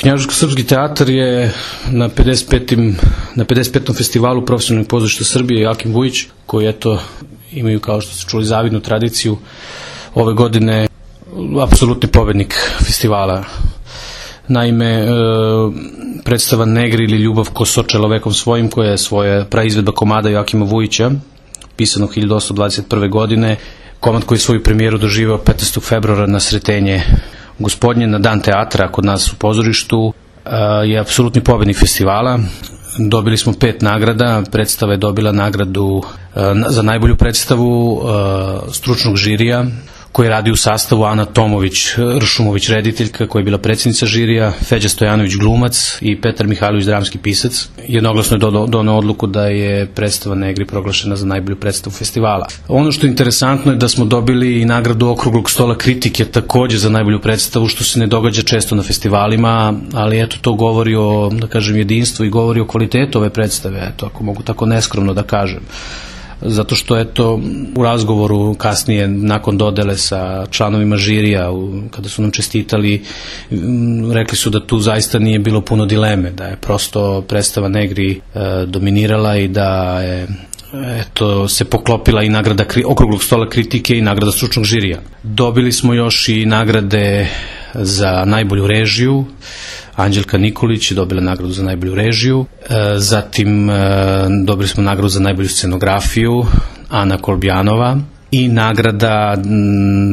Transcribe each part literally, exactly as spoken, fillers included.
Knjaževsko-srpski teatar je na pedeset petom na pedeset petom festivalu profesionalnih pozorišta Srbije Joakim Vujić, koji eto imaju, kao što ste čuli, zavidnu tradiciju, ove godine apsolutni pobednik festivala. Naime, predstava Negri ili Ljubav ko so čelovekom svojim, koja je svoja praizvedba komada Joakima Vujića, pisanog hiljadu osamsto dvadeset prve. godine, komad koji je svoju premijeru doživao petnaestog februara na Sretenje Gospodnje, na dan teatra kod nas u pozorištu, je apsolutni pobednik festivala. Dobili smo pet nagrada. Predstava je dobila nagradu za najbolju predstavu stručnog žirija, koji radi u sastavu Ana Tomović, Ršumović rediteljka, koja je bila predsjednica žirija, Feđa Stojanović glumac i Petar Mihajlović dramski pisac. Jednoglasno je doneo odluku da je predstava Negri proglašena za najbolju predstavu festivala. Ono što je interesantno je da smo dobili i nagradu Okruglog stola kritike takođe za najbolju predstavu, što se ne događa često na festivalima, ali eto, to govori o, da kažem, jedinstvu i govori o kvalitetu ove predstave, eto, ako mogu tako neskromno da kažem. Zato što, eto, u razgovoru kasnije, nakon dodele sa članovima žirija, kada su nam čestitali, rekli su da tu zaista nije bilo puno dileme, da je prosto predstava Negri dominirala i da je, eto, se poklopila i nagrada Okruglog stola kritike i nagrada stručnog žirija. Dobili smo još i nagrade za najbolju režiju. Anđelka Nikolić je dobila nagradu za najbolju režiju, zatim dobili smo nagradu za najbolju scenografiju, Ana Kolbjanova, i nagrada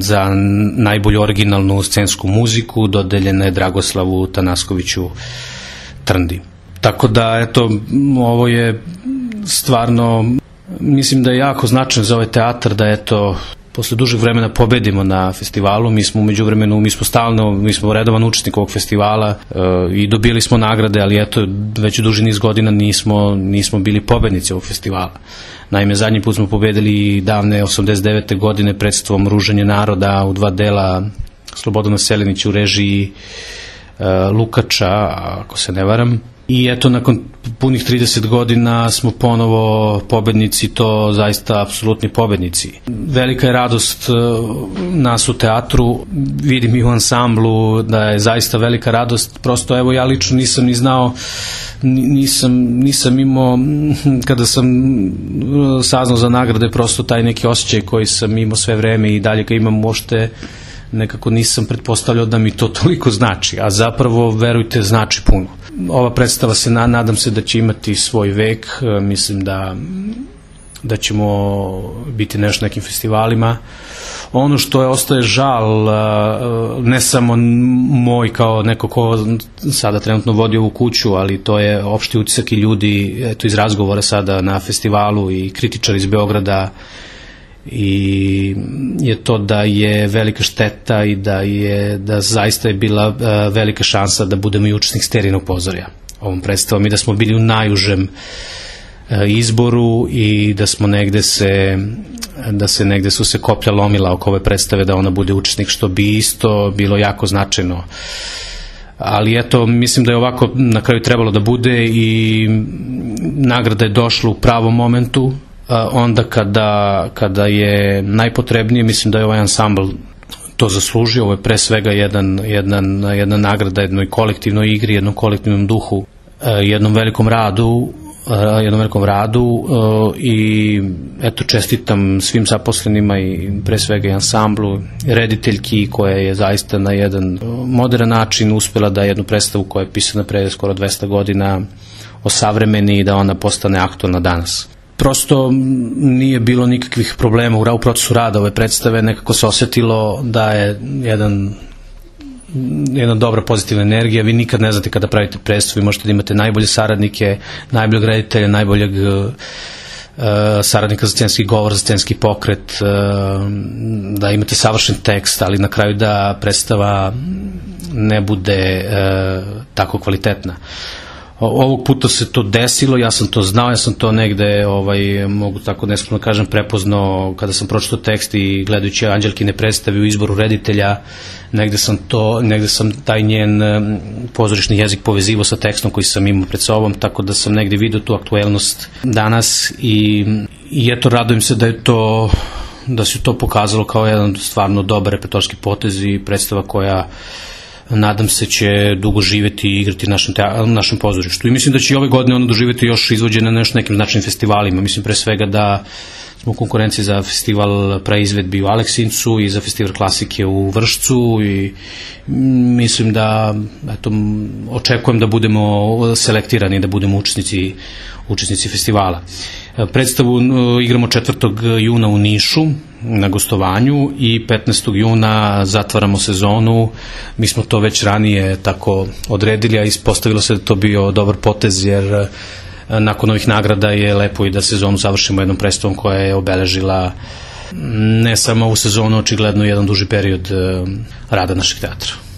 za najbolju originalnu scensku muziku dodeljena je Dragoslavu Tanaskoviću Trndi. Tako da, eto, ovo je stvarno, mislim da je jako značajno za ovaj teatar da, eto, posle dužeg vremena pobedimo na festivalu. Mi smo umeđu vremenu, mi smo stalno, mi smo redovan učesnik ovog festivala e, i dobili smo nagrade, ali eto, već u duži niz godina nismo, nismo bili pobednici ovog festivala. Naime, zadnji put smo pobedili davne osamdeset devete. godine predstavom Ruženje naroda u dva dela, Slobodana Selinić u režiji e, Lukača, ako se ne varam. I eto, nakon punih trideset godina smo ponovo pobednici, to zaista apsolutni pobednici. Velika je radost nas u teatru, vidim i u ansamblu da je zaista velika radost. Prosto, evo, ja lično nisam ni znao, nisam, nisam imao, kada sam saznao za nagrade, prosto taj neki osjećaj koji sam imao sve vreme i dalje ga imam, uopšte nekako nisam pretpostavljao da mi to toliko znači, a zapravo, verujte, znači puno. Ova predstava se, nadam se da će imati svoj vek, mislim da, da ćemo biti nešto nekim festivalima. Ono što je ostaje žal, ne samo moj kao neko ko sada trenutno vodi ovu kuću, ali to je opšti utisak i ljudi, eto, iz razgovora sada na festivalu i kritičari iz Beograda, i je to da je velika šteta i da je, da zaista je bila uh, velika šansa da budemo i učesnik Sterinog pozorja ovom predstavom i da smo bili u najužem uh, izboru i da smo negde se da se negde su se koplja lomila oko ove predstave da ona bude učesnik, što bi isto bilo jako značajno. Ali eto, mislim da je ovako na kraju trebalo da bude i nagrada je došla u pravom momentu, onda kada, kada je najpotrebnije. Mislim da je ovaj ansambl to zaslužio. Ovo je pre svega jedan, jedan, jedna nagrada jednoj kolektivnoj igri, jednom kolektivnom duhu, jednom velikom radu, jednom velikom radu i eto, čestitam svim zaposlenima i pre svega i ansamblu, rediteljki koja je zaista na jedan modern način uspela da jednu predstavu koja je pisana pre skoro dvesta godina osavremeni i da ona postane aktualna danas. Prosto nije bilo nikakvih problema u procesu rada ove predstave, nekako se osetilo da je jedan, jedna dobra pozitivna energija. Vi nikad ne znate kada pravite predstavu, vi možete da imate najbolje saradnike, najboljeg reditelja, najboljeg uh, saradnika za scenski govor, za scenski pokret, uh, da imate savršen tekst, ali na kraju da predstava ne bude uh, tako kvalitetna. Ovog puta se to desilo, ja sam to znao, ja sam to negde, ovaj, mogu tako neskromno kažem, prepoznao kada sam pročitao tekst i gledajući Anđelkine predstave u izboru reditelja, negde sam to, negde sam taj njen pozorišni jezik povezivao sa tekstom koji sam imao pred sobom, tako da sam negde vidio tu aktuelnost danas i, i eto, radujem se da je to, da se to pokazalo kao jedan stvarno dobar repertoarski potez i predstava koja nadam se će dugo živeti i igrati na našem, na našem pozorištu. I mislim da će i ove godine ono doživeti još izvođene na još nekim značajnim festivalima. Mislim pre svega da smo u konkurenciji za festival praizvedbi u Aleksincu i za festival klasike u Vršcu i mislim da eto, očekujem da budemo selektirani, da budemo učesnici, učesnici festivala. Predstavu igramo četvrtog juna u Nišu na gostovanju i petnaestog juna zatvaramo sezonu. Mi smo to već ranije tako odredili, a ispostavilo se da to bio dobar potez, jer nakon ovih nagrada je lepo i da sezonu završimo jednom predstavom koja je obeležila ne samo ovu sezonu, očigledno jedan duži period rada našeg teatra.